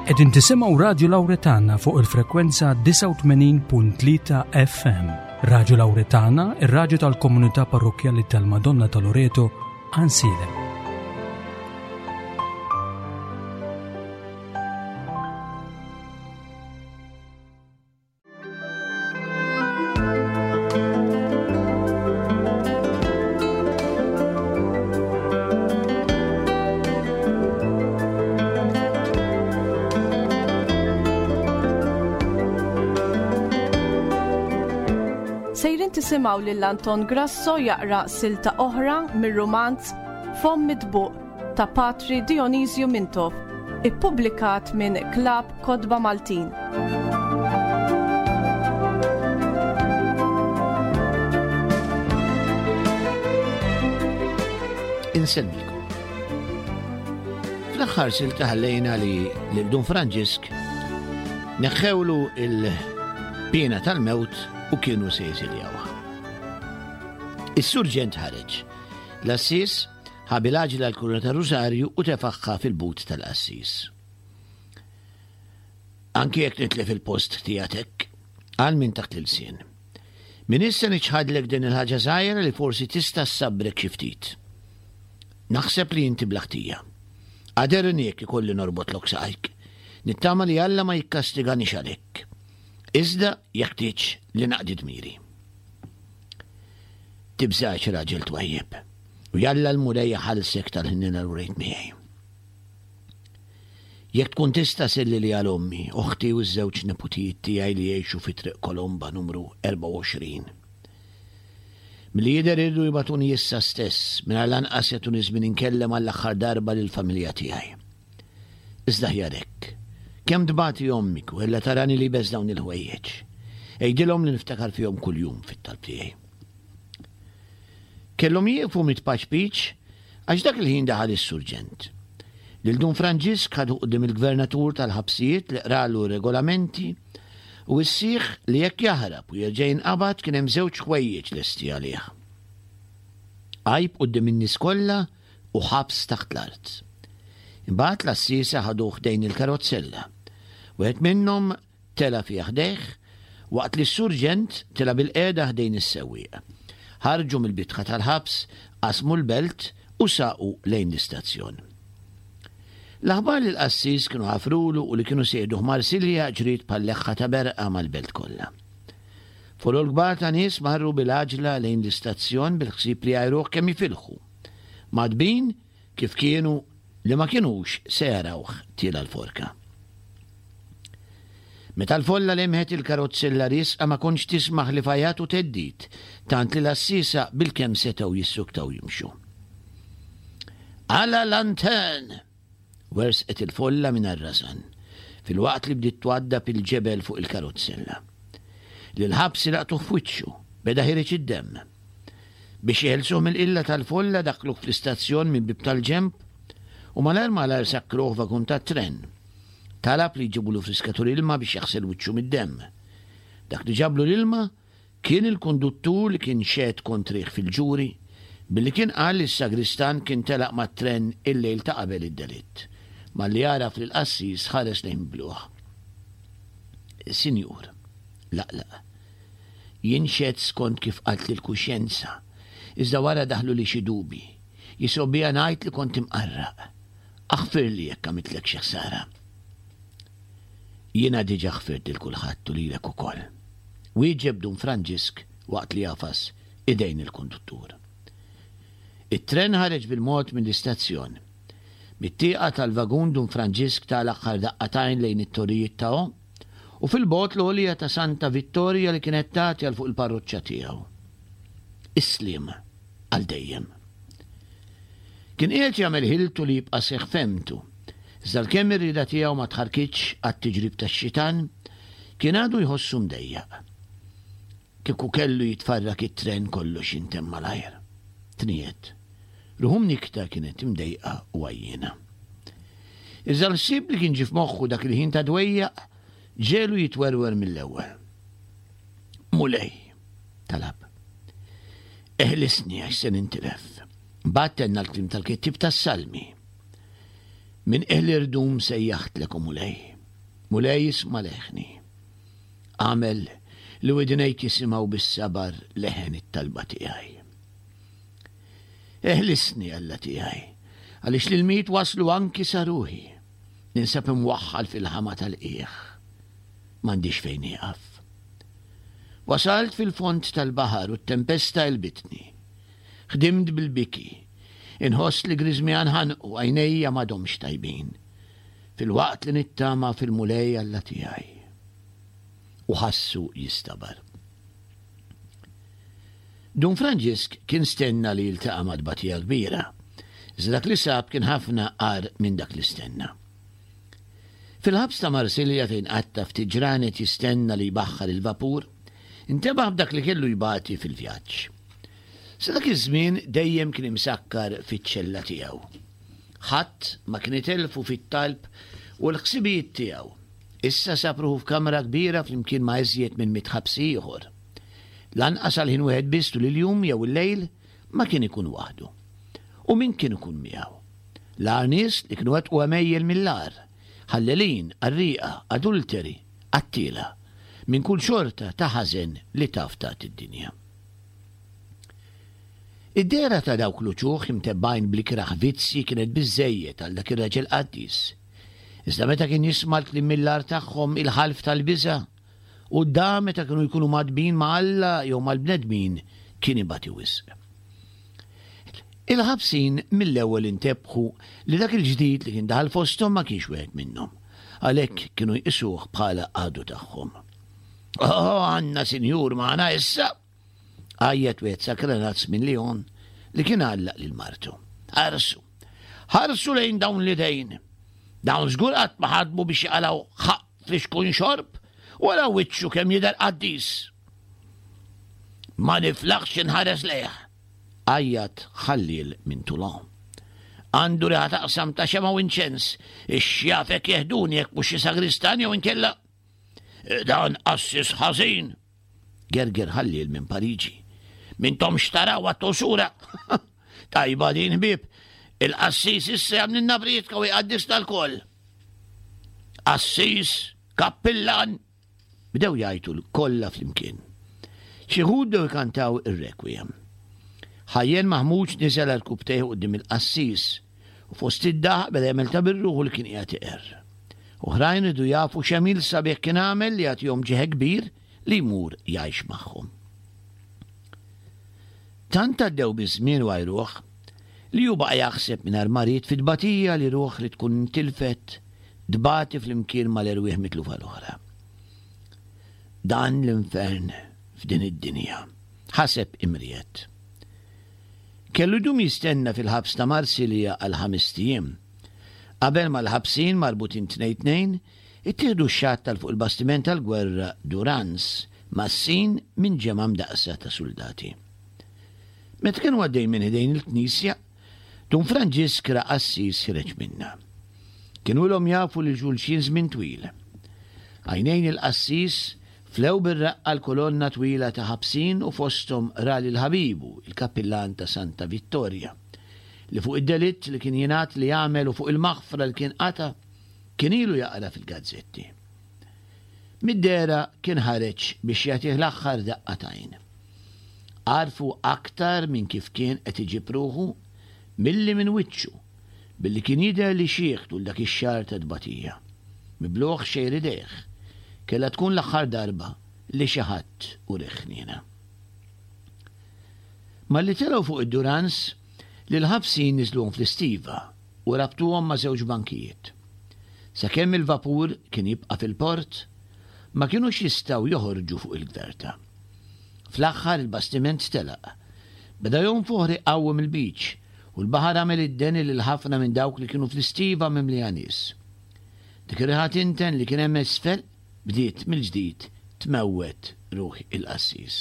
Qegħdin tisimgħu Radju Lawretana fuq il-frekwenza 89.3 FM. Radju Lawretana, ir-radju tal-komunità parrokkjali tal-Madonna ta' Loreto, Ansilem. Sejrin tisimgħu lil Anton Grasso jaqra silta oħra mir-rumanz Fomm Mitbuq ta' Patri Dionisju Mintoff, ippubblikat minn Klabb Kotba Maltin. Insellmilkom. Fl-aħħar silta ħallejna li lil Dun Franġisk neħħewlu il-pena tal-mewt u kienu se jesiljawha. Is-surġent ħareġ. L-assis ħa bil-għaġla l-kuruna ta' Rusarju u tefaħħa fil-but tal-qassis. Anki jekk nitlef il-post tiegħek, qal minn taħt l-ilsien. Min issa niċħadlek din il-ħaġa żgħira li forsi tista' ssabbrek xi ftit. Naħseb li inti bla ħtija. Għaderni jekk ikolli norbotlok saqajk. Nittama li Alla ma jikkastiganix għalhekk. Iżda jeħtieġ li naqdi dmiri. Tibżax raġel twajjeb, u jalla l-Mulej iħallsek tal-ħniena li wrejt miegħi. Jekk tkun tista' sellili għal ommi, oħti u ż-żewġ neputijiet tiegħi li jgħixu fi Triq Kolomba numru 24. Milli jidher iridu jibagħtuni issa stess, mingħajr lanqas jagħtuni żmien inkellem għall-aħħar darba lill-familja tiegħi. Iżda aħjar hekk. Kemm tbati ommik u ella tarani liebes dawn il-ħwejjeġ. Għidilhom li niftakar fihom kuljum fit-talb tiegħi. Kellhom jieqfu mit-tpaċpiċ għax dak il-ħin daħal is-surġent. Lil Dun Franġisk ħadu quddiem il-gvernatur tal-ħabsijiet li qralu r-regolamenti u wissieh li jekk jaħrab u jerġa' jinqabad kien hemm żewġ ħwejjeġ lesti għalih. Għajb quddiem in-nies kollha u ħabs taħt l-art. Imbagħad l-għassiesa ħaduh ħdejn il-karozzella. Wieħed minnhom Tela' fiha ħdejh, waqt li s-surġent tela' bilqiegħda ħdejn is-sewwieq. Ħarġu mill-bitħa tal-ħabs, qasmu l-belt u saqu lejn l-istazzjon. L-aħbar li l-qassis kienu ħafrulu u li kienu se jieħduh Marsilja ġriet bħal leħħa ta' berqa mal-belt kollha. Folol kbar ta' nies marru bil-għaġla lejn l-istazzjon bil-ħsieb li jgħajruh kemm jifilħu. Mgħaddbin kif kienu li ma kinux se jarawh tiela' l-forka. Meta l-folla lemħet il-karozzella riesqa ma kontx tisma' ħlief għajat u theddid, tant li l-għassiesa bilkemm setgħu jissuktaw jimxu. À la lanterne! Wersqet il-folla mingħajr rażan, filwaqt li bdiet twaddab il-ġebel fuq il-karozzella. Lill-ħabsi laqtuh f'wiċċu, beda ħiereġ id-demm. Biex jeħilsuh mill-qilla tal-folla daħħluh fl-istazzjon minn bieb tal-ġenb u malajr malajr sakkruh f'vagun tat-tren. Talab li jġibulu friskatur ilma biex jaħsel wiċċu mid-demm. Dak li ġablu l-ilma kien il kunduttur li kien xehed kontrih fil-ġuri billi kien qal li s-sagristan kien telaq mat-tren il-lejl ta' qabel id-delitt. Malli għaraf lill-qassis ħares lejh mibluh. Sinjur, laqlaq. Jien xhedt skont kif qaltli l-kuxjenza, iżda wara daħluli xi dubji. Jisgħobbija ngħid li kont imqarraq. Aħfirli jekk għamiltlek xi ħsara. Jiena diġà ħfirt lil kulħadd u lilek ukoll. Wieġeb Dun Franġisk waqt li għafas idejn il-konduttur. It-tren ħareġ bil-mod mill-istazzjon. Mit-tieqa tal-vagun Dun Franġisk ta l-aħħar daqqa t'għajn lejn it-torrijiet ta' u fil-bogħod l-għolja ta' Santa Vittorja li kienet tagħti għal fuq il-parroċċa tiegħu. Is-sliem għal dejjem. Kien qiegħed jagħmel ħiltu li jibqa' seħħ fehmtu, iżda għalkemm ir-rieda tiegħu ma tħarrkitx għat-tiġrib tax-xitan, kien għadu jħossu mdejjaq. Kieku kellu jitfarrak it-tren kollox jintemm malajr. Tniegħed. Ruħu mnikkta kienet imdejqa u għajjiena. Iżda l-ħsieb li kien ġie f'moħħu dak il-ħin ta' dwejjaq ġegħlu jitwerwer mill-ewwel. Mulej, talab, eħlisni għax se nintilef. Mbagħad tenna l-kliem tal-kittieb tas-Salmi. Minn qiegħ l-irdum sejjaħtlek, o Mulej. Mulej isma' leħni. Agħmel li widnejk jisimgħu bis-sabar leħen it-talba tiegħi. Eħlisni, Alla tiegħi, għaliex l-ilmijiet waslu anki sa ruħi. Ninsab imwaħħal fil-ħama tal-qiegħ. M'għandix fejn nieqaf. Wasalt fil-fond tal-baħar u t-tempesta għelbitni. Ħdimt bil-biki. Inħoss li griżmija nħanqu, għajnejja m'għadhomx tajbin. Filwaqt li nittama fil-Mulej Alla tiegħi. U ħassu jistabar. Dun Franġisk kien stenna li jiltaqa' ma' tbatija kbira, iżda dak li sab kien ħafna agħar minn dak li stenna. Fil-ħabs ta' Marsilja fejn qatta' ftit ġranet jistenna li jbaħħar il-vapur, intebaħ b'dak li kellu jbati fil-vjaġġ. Sa dak iż-żmien dejjem kien imsakkar fiċ-ċella tiegħu. Ħadd ma kien itellfu fit-talb u l-ħsibijiet tiegħu. Issa sab ruħu f'kamra kbira flimkien ma' iżjed minn mitt ħabsi ieħor. Lanqas għal ħin wieħed biss tul il-jum jew il-lejl ma kien ikun waħdu. U min kien ikun miegħu? L-agħar nies li kienu wettqu għemejjel mill-agħar, ħallelin, qarrieqa, adulteri, qattiela, minn kull xorta ta' ħażen li taf tagħti d-dinja. Id-dehra ta' dawk l-uċuħ imtebbgħin bl-ikrah vizzji kienet biżżejjed għal dak ir-raġel qaddis. Iżda meta kien jisma' l-kliem mill-agħar tagħhom, il-ħalf tal-biża' u d-dagħa meta kienu jkunu mgħaddbin ma' Alla jew mal-bnedmin kien ibati wisq. Il-ħabsin mill-ewwel intebħu li dak il-ġdid li kien daħal fosthom ma kienx wieħed minnhom, għalhekk kienu jqisuh bħala għadu tagħhom. Oh, għandna sinjur magħna issa! Għajjat wieħed sakranazz minn Lyon li kien għallaq lil martu. Ħarsu! Ħarsu lejn dawn l-idejn! Dawn żgur qatt ma ħadmu biex jaqalgħu ħaqq flixkun xorb, wara wiċċu kemm jidher qaddis. Ma niflaħx inħares lejh, għajjat ħalliel minn Toulon. Għandu riħa taqsam ta' xema u inċens, ix-xjafek jeħduni jekk mhux xi sagristan jew inkella. Dan qassis ħażin, gerger ħalliel minn Pariġi. Mintom xtaraw għattu sura. Tajba din ħbieb, il-qassis issa jagħmlilna prietka u jqaddisna lkoll. Qassis, kappillan, bdew jgħajtu kollha flimkien. Xi wħud bdew ikantaw ir-requiem. Ħajjen maħmuġ niżel għal rkubtejh quddiem il-qassis u fost id-daħq beda jagħmel ta' bir-ruħu li kien qiegħed iqerr. Oħrajn riedu jafu x'għemil sabiħ kien għamel li jagħtihom ġieħ kbir li jmur jgħix magħhom. Tant għaddew biż-żmien u għajruh li hu baqa' jaħseb mingħajr ma ried fit-tbatija li ruħ li tkun intilfet tbati flimkien mal-erwieħ mitlufa l-oħra. Dan l-infern f'din id-dinja, ħaseb imriegħed. Kellu jdum jistenna fil-ħabs ta' Marsilja għal ħamest ijiem, qabel ma l-ħabsin marbutin tnejn tnejn ittieħdu x-xatt għal fuq il-bastiment tal-gwerra Durance mgħassin minn ġemgħa mdaqqsa ta' suldati. Meta kienu għaddejjin minn ħdejn il-knisja, Dun Franġisk ra qassis ħireġ minnha. Kienu ilhom jafu lil xulxin żmien twil. Għajnejn il-qassis flew bir-reqqa l-kolonna twila ta' ħabsin u fosthom ra lil ħabibu, il-kappillan ta' Santa Vittoria, li fuq id-delitt li kien jingħad li għamel u fuq il-maħfra li kien qata' kien ilu jaqra fil-gazzetti. Mid-dehra kien ħareġ biex jagħtih l-aħħar daqqa t'għajn. Għarfu aktar minn kif kien qed iġib ruħu milli minn wiċċu, billi kien jidher li xiħ tul dak ix-xahar ta' tbatija. Miblugħ xejr idejh, kellha tkun l-aħħar darba li xi ħadd urih ħniena. Malli telgħu fuq id-Durance, lill-ħabsin niżluhom fl-istiva u rabtuhom ma' żewġ bankijiet. Sakemm il-vapur kien jibqa' fil-port, ma kinux jistgħu joħorġu fuq il-gverta. Fl-aħħar il-bastiment telaq. Beda jonfoħ riħ qawwi mill-beach u l-baħar għamel id-deni lil ħafna minn dawk li kienu fl-istiva mimlija nies. Dik ir-riħa tinten li kien hemm isfel bdiet mill-ġdid tmewwet ruħ il-qassis.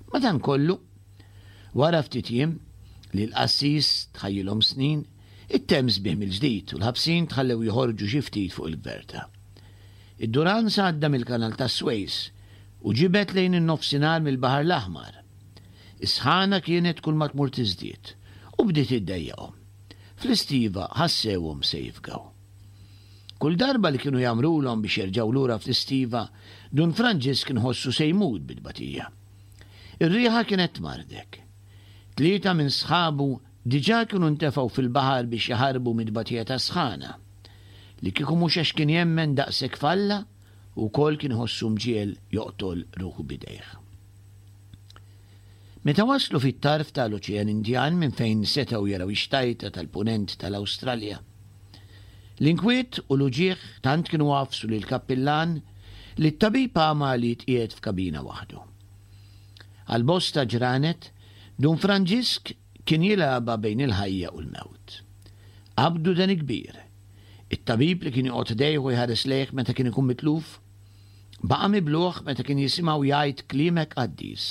Madankollu, Wara ftit jiem, li l-qassis tħajjilhom snin, it-temp sbieħ mill-ġdid u l-ħabsin tħallew joħorġu xi ftit fuq il-gverta. Id-Durance għadda mill-Kanal tas-Swejs u ġibed lejn in-Nofsinhar mill-Baħar l-Aħmar. Is-sħana kienet kulma tmur tiżdied u bdiet iddejjaqhom. Fl-istiva ħassewhom se jifgaw. Kull darba li kienu jagħmrulhom biex jerġgħu lura fl-istiva, Dun Franġisk kien iħossu se jmut bit-tbatija. Ir-riħa kienet tmarrdek. Tlieta minn sħabu diġà kienu ntefgħu fil-baħar biex jaħarbu mit-tbatija tas-sħana. Li kieku mhux għax kien jemmen daqshekk f'Alla, hu wkoll kien iħossu mġiegħel joqtol ruħu b'idejh. Meta waslu fit-tarf ta' l-Oċean Indjan minn fejn setgħu jaraw ix-xtajta tal-Punent ta' l-Awstralja, l-inkwiet u l-uġigħ tant kienu għafsu lill-kappillan li t-tabib għama li jitqiegħed f'kabina waħdu. Għal bosta ġranet, Dun Franġisk kien jilgħabha bejn il-ħajja u l-mewt. Qabdu deni kbir. It-tabib li kien joqgħod ħdejh u jħares lejh meta kien ikun mitluf, Baqa' mibluh meta kien jisimgħu jgħid kliem hekk qaddis.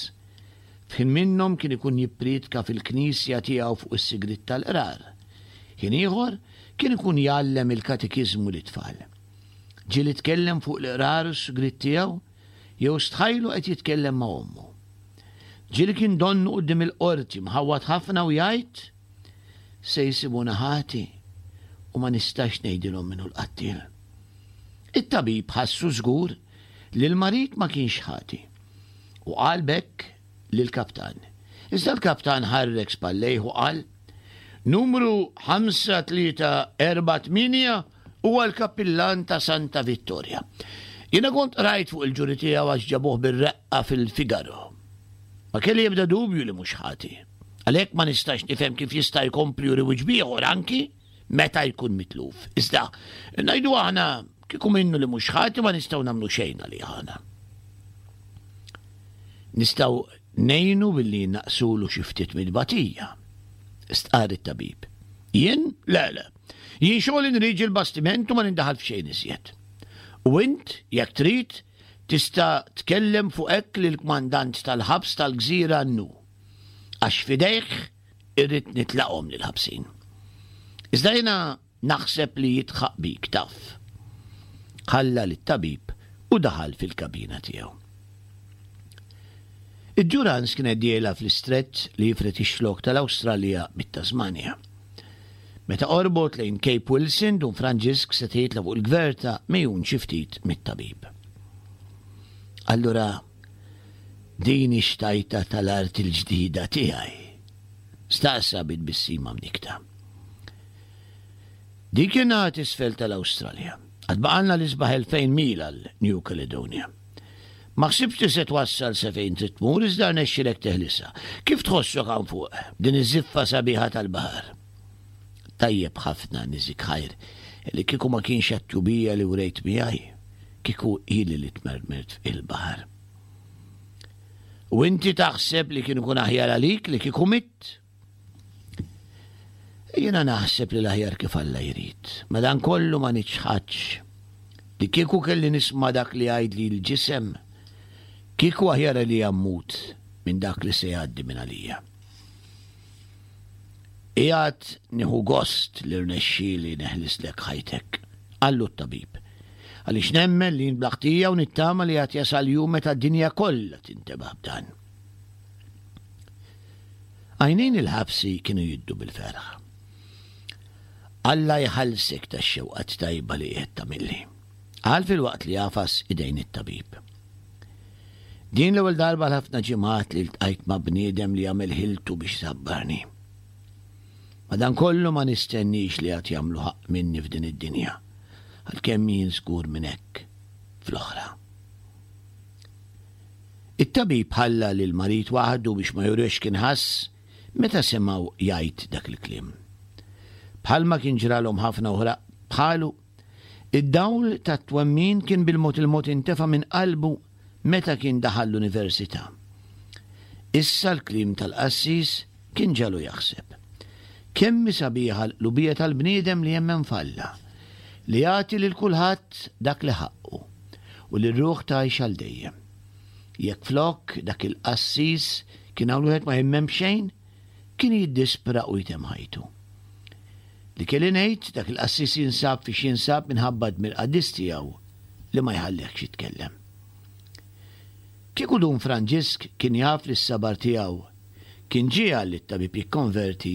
F'ħin minnhom kien ikun jipprietka fil-knisja tiegħu fuq is-sigriet tal-qrar. Ħin ieħor kien ikun jgħallem il-katekiżmu lit-tfal. Ġieli tkellem fuq l-qrar u s-sigriet tiegħu jew stħajlu qed jitkellem ma' ommu. Ġieli kien donnu quddiem il-qorti mħawwad ħafna u jgħid, Se jsibuna ħati u ma nistax ngħidilhom min hu l-qattiel. It-tabib ħassu żgur li l-marid ma kienx ħati u qal b'hekk lill-kaptan. Iżda l-kaptan ħarrek spallejh u qal, Numru 5348 huwa l-kappillan ta' Santa Vittoria. Jiena kont qrajt fuq il-ġuri tiegħu għax ġabuh bir-reqqa fil-Figaro. Ma kelli ebda dubju li mhux ħati. Għalhekk ma nistax nifhem kif jista' jkompli juri wiċċ b'ieħor anki meta jkun mitluf. Iżda, ngħidu aħna, kieku minnu li mhux ħati ma nistgħu nagħmlu xejn għalih aħna. Nistgħu ngħinu billi naqsulu xi ftit mid-batija. Stqarr it-tabib. Jien? Le, le. Jien xogħli nriġi l-bastiment u ma nindaħal f'xejn iżjed. U int, jekk trid, tista' tkellem fuq hekk lill-kmandant tal-ħabs tal-gżira Nnu. Għax f'idejh Irrid nitlaqhom lill-ħabsin. Iżda jiena naħseb li jidħaq bik, taf. Ħalla lit-tabib u daħal fil-kabina tiegħu. Id-Durance kienet dieħla fl-istrett li jifred ix-xlokk tal-Awstralja mit-Tasmanja. Meta qorbot lejn Cape Wilson, Dun Franġisk seta' jitla' fuq il-gverta megħjun xi ftit mit-tabib. Allura, Din hi xtajta tal-art il-ġdida tiegħi? staqsa bi tbissima mnikkta. Dik hi naħa t'isfel tal-Awstralja. Għad baqgħalna l-isbaħ 2000 mil għal New Caledonia. Ma ħsibtx li se twassal sa fejn trid tmur iżda rnexxielek teħlisha. Kif tħossok hawn fuq, b'din iż-żiffa sabiħa tal-baħar? Tajjeb ħafna, niżik ħajr, li kieku ma kienx għat-tjubija li wrejt miegħi, kieku ili li tmermert f'il-baħar. U inti taħseb li kien ikun aħjar għalik li kieku mitt? Jiena naħseb li l-aħjar kif Alla jrid. Madankollu ma niċħadx li kieku kelli nisma' dak li jgħidli l-ġisem, kieku aħjar għalija mmut minn dak li se jgħaddi minn għalija. Qiegħed nieħu gost li rnexxieli neħlislek ħajtek, qallu t-tabib. Għaliex nemmen li int bla ħtija u nittama li għad jasal jum meta d-dinja kollha tintebaħ b'dan. Għajnejn il-ħabsi kienu jiddu bil-ferħ. Alla jħallsek tax-xewqat tajba li qiegħed tagħmilli, qal filwaqt li għafas idejn it-tabib. Din l-ewwel darba għal ħafna ġimgħat li ltqajt ma' bniedem li għamel ħiltu biex isabbarni. Madankollu ma nistennix li għad jagħmlu ħaqq minni f'din id-dinja, għalkemm jien żgur minn hekk fl-oħra. It-tabib ħalla lill-marid waħdu biex ma jurihx x'kien ħass meta semgħu jgħid dak il-kliem. Bħalma kien ġralhom ħafna oħra bħalu, Id-dawl tat-twemmin kien bil-mod il-mod intefa' minn qalbu meta kien daħal l-università. Issa l-kliem tal-qassis kien ġagħlu jaħseb. Kemm hi sabiħa l-qlubija tal-bniedem li jemmen f'Alla, li jagħti lil kulħadd dak li ħaqqu, u li r-ruħ tgħix għal dejjem. Jekk flok dak il-qassis kien hawn wieħed ma jemmen b'xejn, kien jiddispra u jtemm ħajtu. Li kelli ngħid, dak il-qassis jinsab fiex jinsab minħabba d-dmir qaddis tiegħu li ma jħallihx jitkellem. Kieku Dun Franġisk kien jaf li s-sabar tiegħu kien ġiegħel lit-tabib jikkonverti,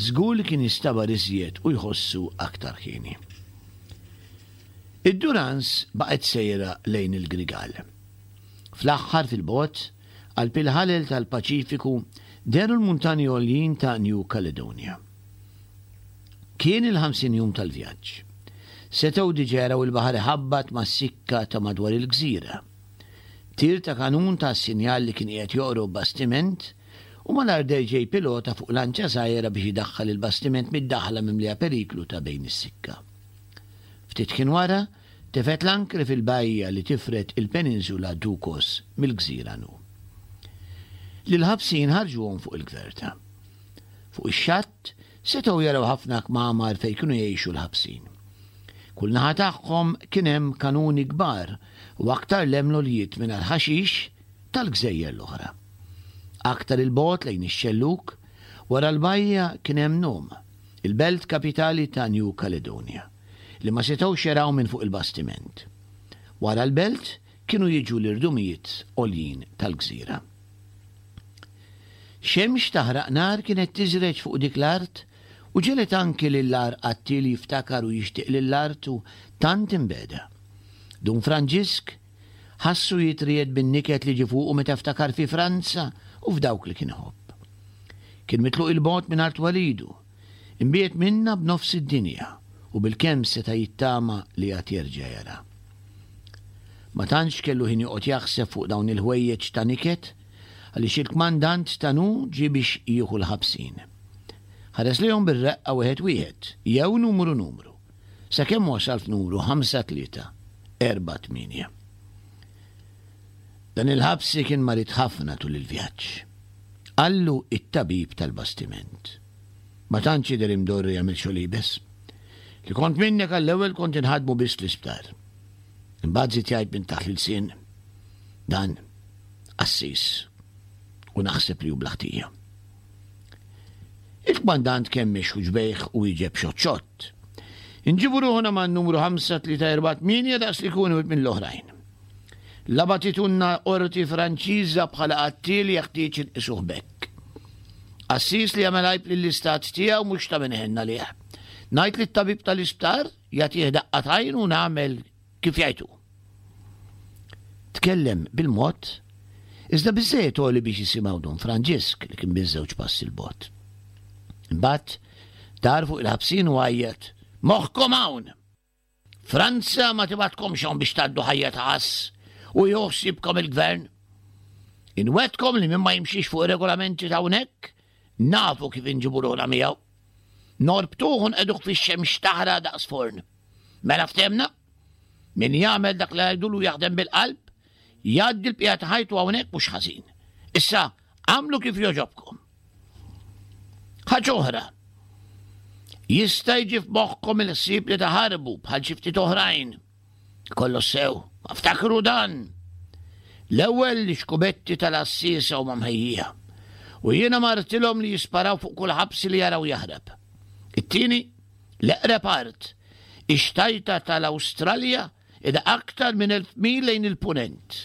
żgur li kien jistabar iżjed u jħossu aktar ħieni. Id-Durance baqgħet sejra lejn il-Grigal. Fl-aħħar fil-bogħod, qalb il-ħalel tal-Paċifiku, dehru l-muntanji għoljin ta' New Caledonia. Kien il-50 jum tal-vjaġġ. Setgħu diġà jaraw il-baħar iħabbat mas-sikka ta' madwar il-gżira. Tir ta' kanun ta sinjal li kien qiegħed joqrob bastiment u malajr deher ġej pilota fuq lanċa żgħira biex idaħħal il-bastiment mid-daħla mimlija periklu ta' bejn is-sikka. Ftit ħin wara, tefgħet l-ankri fil-bajja li tifred il-peninsula Ducos mill-gżira Nu. Lill-ħabsin ħarġuhom fuq il-gverta. Fuq ix-xatt, setgħu jaraw ħafna kmamar fejn kienu jgħixu l-ħabsin. Kull naħa tagħhom kien hemm kanuni kbar u aktar 'l hemm l-għoljiet mingħajr ħaxix tal-gżejjer l-oħra. Aktar 'il bogħod lejn ix-xellug, wara l-bajja kien hemm Nome, il-belt kapitali ta' New Caledonia, li ma setgħux jaraw minn fuq il-bastiment. Wara l-belt kienu jiġu l-irdumijiet għoljin tal-gżira. Xemx taħraq nar kienet tiżreġ fuq dik l-art u ġegħlet anki lill-agħar qattiel jiftakar u jixtieq lil artu tant imbegħda. Dun Franġisk ħassu jitriegħed bin-niket li ġie fuqu meta ftakar fi Franza u f'dawk li kien iħobb. Kien mitluq 'il bogħod minn art twelidu, imbiegħed minnha b'nofs id-dinja u bilkemm seta' jittama li għad jerġa' jara. Ma tantx kellu ħin joqgħod jaħseb fuq dawn il-ħwejjeġ ta' niket għaliex il-kmandant ta' Nu ġie biex jieħu l-ħabsin. Ħares lejhom bir-reqqa wieħed wieħed, jew numru numru, sakemm wasal f'numru 5348. Dan il-ħabsi kien marid ħafna tul il-vjaġġ. Qallu it-tabib tal-bastiment. Ma tantx jidher imdorri jagħmel xogħol iebes. Li kont minnek għall-ewwel kont inħaddmu biss l-isptar. Imbagħad żied jgħid minn taħt l-ilsien, Dan qassis u naħseb li hu bla ħtija. Il-kmandant kemmex ħuġbejh u wieġeb xott xott. Inġibu ruħna man-numru 5348 daqs li jkunu minn l-oħrajn. La bagħtitunna qorti Franċiża bħala qattiel jeħtieġ inqisuh b'hekk. Qassis li jagħmel għajb lill-istat tiegħu mhux ta' min iħenn għalih. Ngħid lit-tabib tal-isptar jagħtih daqqa t'għajn u nagħmel kif jgħid hu. Tkellem bil-mod, iżda biżżejjed għoli biex jisimgħu Dun Franġisk li kien biss żewġ passi 'l bogħod. Imbagħad dar fuq il-ħabsin u għajjat, Moħħkom hawn! Franza ma tibgħatkomx hawn biex tgħaddu ħajja ta' għass u jieħu ħsiebkom il-gvern. Inwegħdkom li min ma jimxix fuq ir-regolamenti ta' hawnhekk, nafu kif inġibu ruħna miegħu. Norbtuh u nqegħduh fix-xemx taħraq daqs forn. Mela ftehmna? Min jagħmel dak li ngħidulu jaħdem bil-qalb, jgħaddi l-bqija ta' ħajtu hawnhekk mhux ħażin. Issa, agħmlu kif jogħġobkom. Ħaġa oħra, jista' jiġi f'moħħkom il-ħsieb li taħarbu bħal xi ftit oħrajn. Kollox sew, ma ftakru dan. L-ewwel l-ixkubetti tal-għassiesa huma mħejjija u jiena martilhom li jisparaw fuq kull ħabsi li jaraw jaħrab. It-tieni, l-eqreb art, ix-xtajta tal-Awstralja Qiegħda aktar minn 1,000 mil lejn il-punent.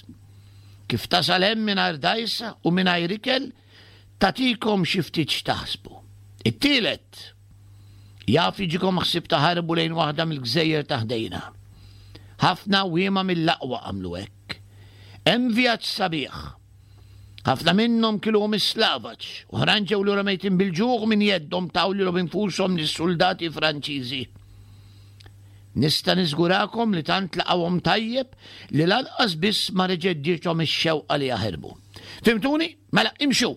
Kif tasal hemm mingħajr dgħajsa u mingħajr ikel, tagħtikom xi ftit x'taħsbu. It-tielet, jaf jiġikom ħsieb taħarbu lejn waħda mill-gżejjer ta' ħdejna. Ħafna għawwiema mill-aqwa għamlu hekk. Hemm vjaġġ sabiħ. Ħafna minnhom kiluhom is-slavaġ, oħrajn ġew lura mejtin bil-ġuħ minn jeddhom taw lilhom infushom lis-suldati Franċiżi. Nista' niżgurakom li tant laqgħuhom tajjeb li lanqas biss ma reġgħet ġiethom ix-xewqa li jaħirbu. Fhimtuni? Mela, imxu!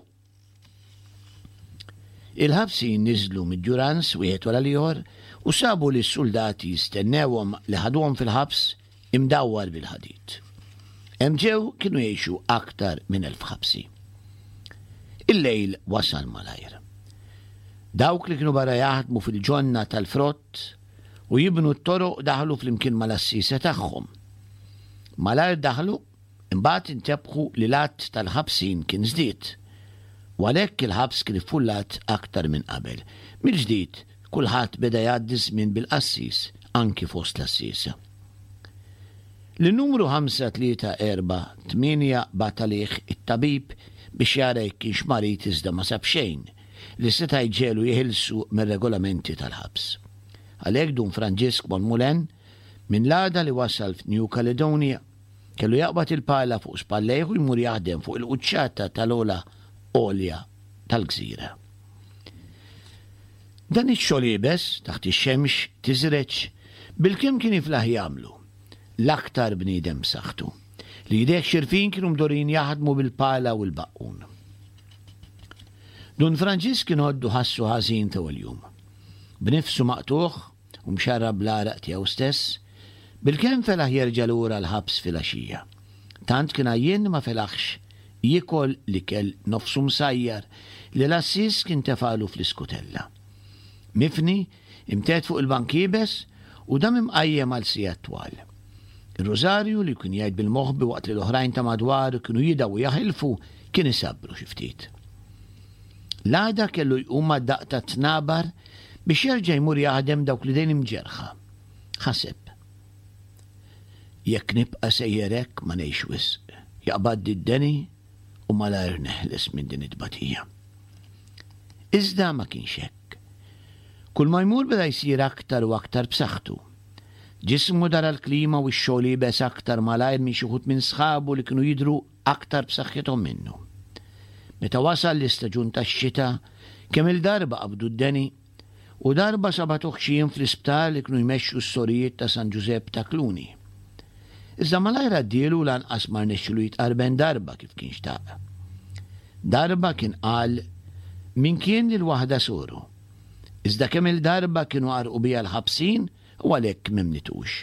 Il-ħabsin niżlu mid-Durance wieħed wara l-ieħor u sabu lis-suldati jistennewhom li ħaduhom fil-ħabs imdawwar bil-ħadid. Hemm ġew kienu jgħixu aktar minn 1,000 ħabsi. Il-lejl wasal malajr. Dawk li kienu barra jaħdmu fil-ġonna tal-frott u jibnu t-toroq daħlu flimkien mal-għassiesa tagħhom. Malajr daħlu, imbagħad intebħu li l-għadd tal-ħabsin kien żdied. U għalhekk il-ħabs kien iffullat aktar minn qabel. Mill-ġdid, kulħadd beda jgħaddi ż-żmien bil-qassis, anki fost l-għassiesa. Lin-numru 5348 bagħat għalih it-tabib biex jara jekk kienx marid iżda ma sab xejn li seta' jġegħlu jeħilsu mir-regolamenti tal-ħabs. Għalhekk Dun Franġisk Monmoulin, Minn l-għada li wasal f'New Caledonia, kellu jaqbad il-pala fuq spallejh u jmur jaħdem fuq il-quċċata tal-ogħla għolja tal-gżira. Dan ix-xogħol iebes, taħt ix-xemx tiżreġ, bilkemm kien jiflaħ jagħmlu, l-aktar bniedem b'saħħtu, li jdejh xirfin kienu mdorrijin jaħdmu bil-pala u l-baqqun. Dun Franġisk kien għoddu ħassu ħażin t'ewwel jum. B'nifsu maqtugħ u mxarrab bl-għaraq tiegħu stess, bilkemm felaħ jerġa' lura l-ħabs filgħaxija. Tant kien għajjien li ma felaħx jiekol l-ikel nofsu msajjar li l-għassies kien tefagħlu fl-iskutella. Mifni, imtedd fuq il-bank iebes u dam imqajjem għal sigħat twal. Ir-rużarju li kien jgħid bil-moħbi waqt li l-oħrajn ta' madwaru kienu jidgħu u jaħilfu kien isabbru xi ftit. L-għada kellu jqum mad-daqq tat-tnabar biex jerġa' jmur jaħdem dawk l-idejn imġerrħa. Ħaseb. Jekk nibqa' sejjer hekk ma ngħix wisq. Jaqbadni d-deni u malajr neħles minn din it-tbatija. Iżda ma kienx hekk. Kull ma jmur beda jsir aktar u aktar b'saħħtu. Ġismu dara l-klima u x-xogħol iebes aktar malajr minn xi wħud minn sħabu li kienu jidhru aktar b'saħħithom minnu. Meta wasal l-istaġun tax-xita, kemm-il darba qabdu d-deni, u darba sabatuh xi jiem fl-isptar li kienu jmexxu s-sorijiet ta' San Ġużepp ta' Cluny. Iżda malajr għaddielu u lanqas ma rnexxilu jitqarben darba kif kien xtaq. Darba kien qal min kien lil waħda soru. Iżda kemm-il darba kienu għarrqu biha l-ħabsin u għalhekk m'emmnitux.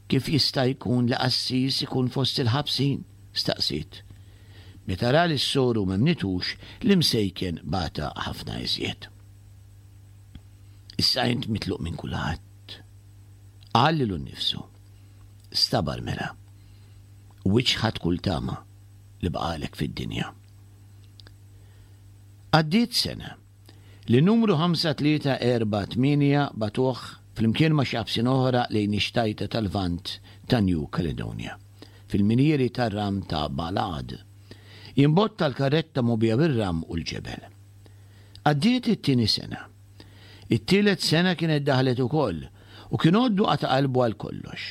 Kif jista' jkun li qassis ikun fost il-ħabsin? staqsiet. Meta ra li s-soru m'emmnitux, l-imsejken bata ħafna iżjed. Issa int mitluq minn kulħadd. Qal lilu nnifsu. Stabar mela. U iċħad kull tama li baqagħlek fid-dinja. Għaddiet sena. Li numru 5348 bagħtuh flimkien ma' xi ħabsin oħra lejn ix-xtajta tal-Lvant ta' New Caledonia, fil-minjieri tar-ram ta' Balad. Jimbotta l-karretta mgħobbija bir-ram u l-ġebel. Għaddiet it-tieni sena. It-tielet sena kienet daħlet ukoll u kien għoddu qata' qalbu għal kollox.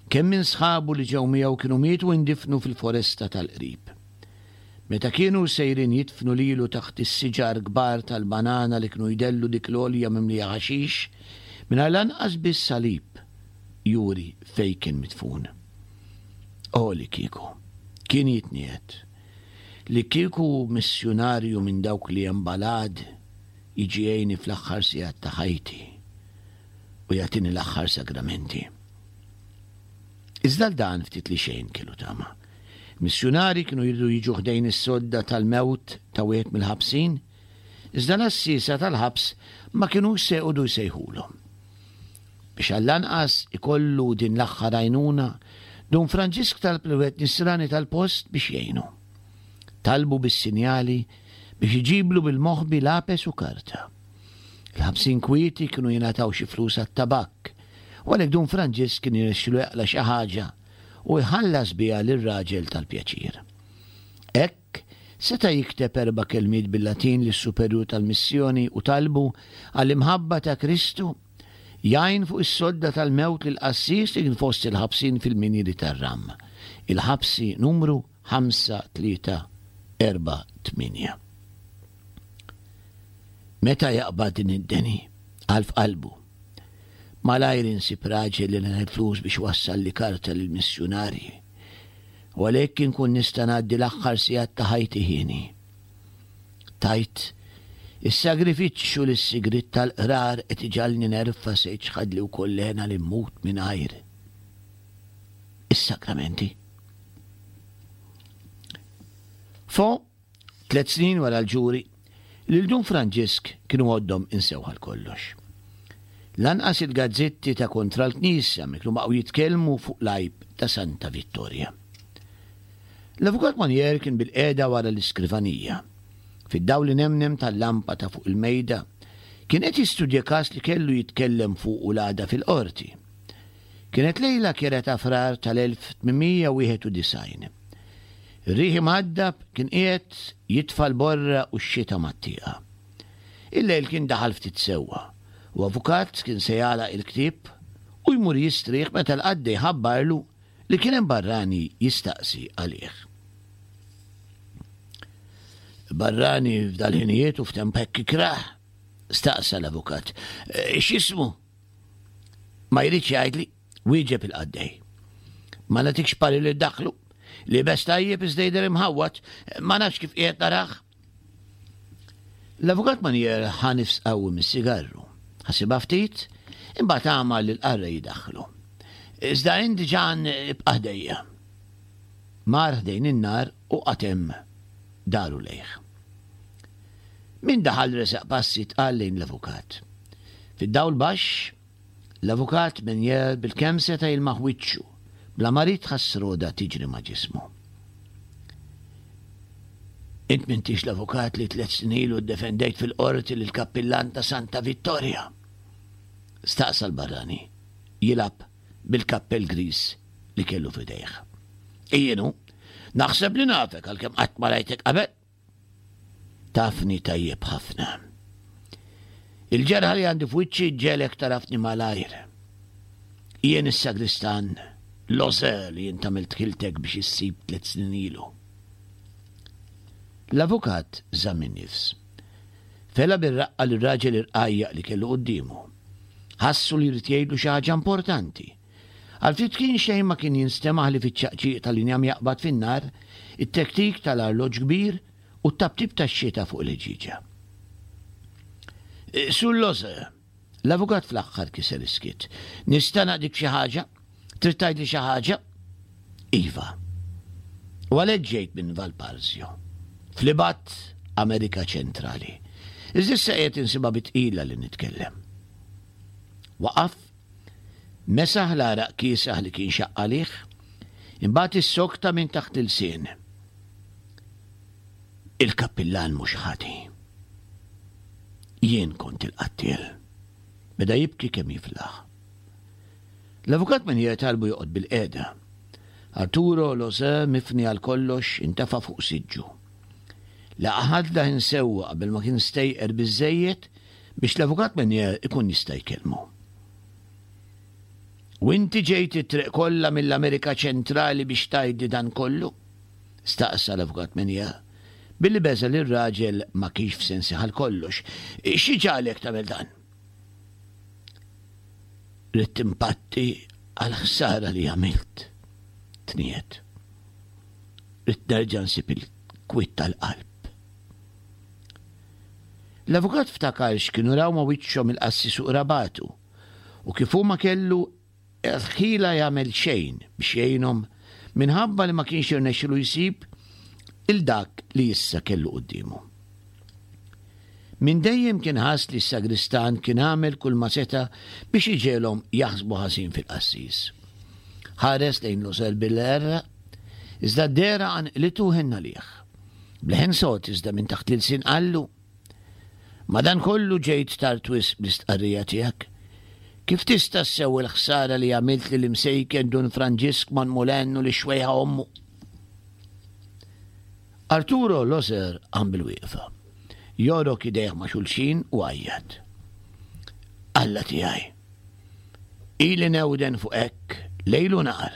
Kemm minn sħabu li ġew miegħu kienu mietu u ndifnu fil-foresta tal-qrib. Meta kienu sejrin jidfnu lilu taħt is-siġar kbar tal-banana li kienu jdellu dik l-għolja mimlija ħaxix, mingħajr lanqas biss salib juri fejn kien midfun. O li kieku, kien jitniegħed, li kieku missjunarju minn dawk li hemm Balad jiġi jgħinni fl-aħħar sigħat ta' ħajti u jagħtini l-aħħar sagramenti. Iżda għal dan ftit li xejn kellu tama. Missjunari kienu jridu jiġu ħdejn is-sodda tal-mewt ta' wieħed mill-ħabsin, iżda l-għassiesa tal-ħabs ma kinux se jqogħdu jsejħulhom. Biex għall-anqas ikollu din l-aħħar għajnuna, Dun Franġisk talb lil wieħed Nisrani tal-post biex jgħinu. Talbu bis-sinjali biex iġiblu bil-moħbi lapes u karta. Il-ħabsin kwieti kienu jingħataw xi flus għat-tabakk, u għalhekk Dun Franġisk kien jirnexxilu jaqla' xi ħaġa u jħallas biha lir-raġel tal-pjaċir. Hekk seta' jikteb erba' kelmiet bil-Latin lis-superjur tal-missjoni u talbu għall-imħabba ta' Kristu jgħin fuq is-sodda tal-mewt lill-qassis li kien fost il-ħabsin fil-minjieri tar-Ram, il-ħabsi numru 5348. Meta jaqbad din id-deni, qal f'qalbu, malajr insib raġel li nagħti flus biex iwassalli karta lill-missjunarji, u għalhekk inkun nista' ngħaddi l-aħħar sigħat ta' ħajti hieni. Tgħid, is-sagrifiċċju li s-sigriet tal-qrar qed iġagħalni nerfa' se jiċħadli wkoll l-hena li mmut mingħajr is-sagramenti? Fo, Tliet snin wara l-ġuri, lil Dun Franġisk kienu għoddhom insewh għal kollox. Lanqas il-gazzetti ta' kontra l-Knisja ma kienu baqgħu jitkellmu fuq l-għajb ta' Santa Vittorja. L-Avukat Monier kien bilqiegħda wara l-iskrivanija. Fid-dawl inemnem tal-lampa ta' fuq il-mejda, kien qed jistudja każ li kellu jitkellem fuqu l-għada fil-qorti. Kienet lejla kiera ta' Frar tal-1891. Ir-riħ imgħaddab kien qiegħed jitfa' l-borra u x-xita mat-tieqa. Il-lejl kien daħal ftit sewwa, u avukat kien se jagħlaq il-ktieb u jmur jistrieħ meta l-qaddej ħabbarlu li kien hemm barrani jistaqsi għalih. Barrani f'dal-ħinijiet u f'temp hekk ikrah? staqsa l-avukat. Eh, x'ismu? Ma jridx jgħidli, wieġeb il-qaddej. Ma nagħtikx pari li daħlu. Libes tajjeb iżda jidher imħawwad, ma nafx kif qiegħed narah. L-avukat Manier ħa nifs qawwi mis-sigarru. Ħasibha ftit, imbagħad għamal li l-qarrej jidaħħlu. Iżda int Ġan ibqa' ħdejja. Mar ħdejn in-nar u qagħad hemm daru lejh. Min daħal resaq passi tqal lejn l-avukat. Fid-dawl baxx, L-avukat Menier bilkemm seta' jilmaħ wiċċu, bla ma ried ħass roda tiġri ma' ġismu. Int m'intix l-avukat li tlett snin ilu ddefendejt fil-qorti lill-kappillan ta' Santa Vittoria? staqsa l-barrani, jilgħab bil-kappell griż li kellu f'idejh. Jien hu. Naħseb li nafek għalkemm qatt ma rajtek qabel. Tafni tajjeb ħafna. Il-ġerħa li għandi f'wiċċi ġġegħlek tarafni malajr. Jien is-sagristan Loser li int għamilt ħiltek biex issib tlett snin ilu. L-avukat żamm in-nifs. Fela bir-raqqa lir-raġel irqajjaq li kellu quddiemu. Ħassu li jrid jgħidlu xi ħaġa importanti. Għal ftit kien xejn ma kien jinstema' ħlief iċ-ċaqċiq tal-injam jaqbad fin-nar, it-tektik tal-arloġġ kbir u t-taptip tax-xita fuq il-ħġieġa. Sur Loze, l-avukat fl-aħħar kiser is-skiet. Nista' naqdik f'xi ħaġa? Trid tgħidli xi ħaġa? Iva. U għalhekk ġejt minn Valparzio, fl-ibgħad Amerika Ċentrali. Iżda issa qiegħed insibha bi tqila li nitkellem. Waqaf Mesaħ l-għaraq kiesaħ li kien xaqq għalih, imbagħad issokta minn taħt l-ilsien. Il-kappillan mhux ħati. Jien kont il-qattiel. Beda jibki kemm jiflaħ. L-avukat Menier talbu joqgħod bilqiegħda. Arturo Losè mifni għal kollox intefa' fuq siġġu. Laqa' ħadda ħin sewwa qabel ma kien stejqer biżżejjed biex l-Avukat Menier ikun jista' jkellmu. U inti ġejt it-triq kollha mill-Amerika Ċentrali biex tgħidli dan kollu? staqsa l-Avukat Menier, billi beża' li r-raġel ma kienx f'sensih għal kollox. Xi ġagħlek tagħmel dan? Ridt impatti għall-ħsara li għamilt, tniegħed. Ridt nerġa' nsib il-kwiet tal-qalb. L-avukat ftakar x'kienu raw ma' wiċċhom il-qassis u qrabatu u kif hu ma kellu l-ħila jagħmel xejn biex jgħinhom minħabba li ma kienx irnexxilu jsib 'il dak li issa kellu quddiemu. Minn dejjem kien ħass li s-sagristan kien għamel kulma seta' biex iġegħelhom jaħsbu ħażin fil-qassis. Ħares lejn Losel bil-għerra, iżda d-dehra qanqlitu u ħenn għalih. B'leħen sod iżda minn taħt l-ilsien qallu, Madankollu ġejt tard wisq bl-istqarrija tiegħek. Kif tista' ssewwi l-ħsara li għamilt lill-imsejken Dun Franġisk Monmoulin u lix-xwejħa ommu? Arturo Loser qam bil-wieqfa, jogħrok idejh ma' xulxin u għajjat. Alla tiegħi! Ili newden fuq hekk lejl u nhar.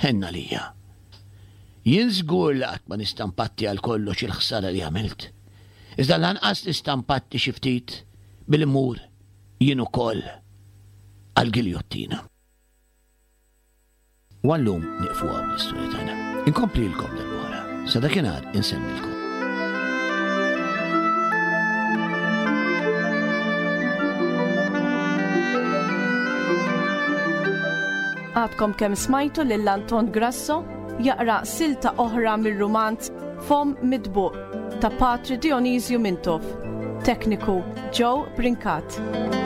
Ħenn għalija. Jien żgur li qatt ma nista' npatti għal kollox il-ħsara li għamilt. Iżda lanqas nista' npatti xi ftit billi mmur jien ukoll għall-giljottina. U għal-lum nieqfu hawn bl-istorja tagħna. Inkomplilkom darb'oħra. Sa dakinhar insellmilkom. Għadkom kemm smajtu lil Anton Grasso jaqra silta oħra mir-rumanz Fomm Mitbuq ta' Patri Dionisju Mintoff. Tekniku Joe Brincat.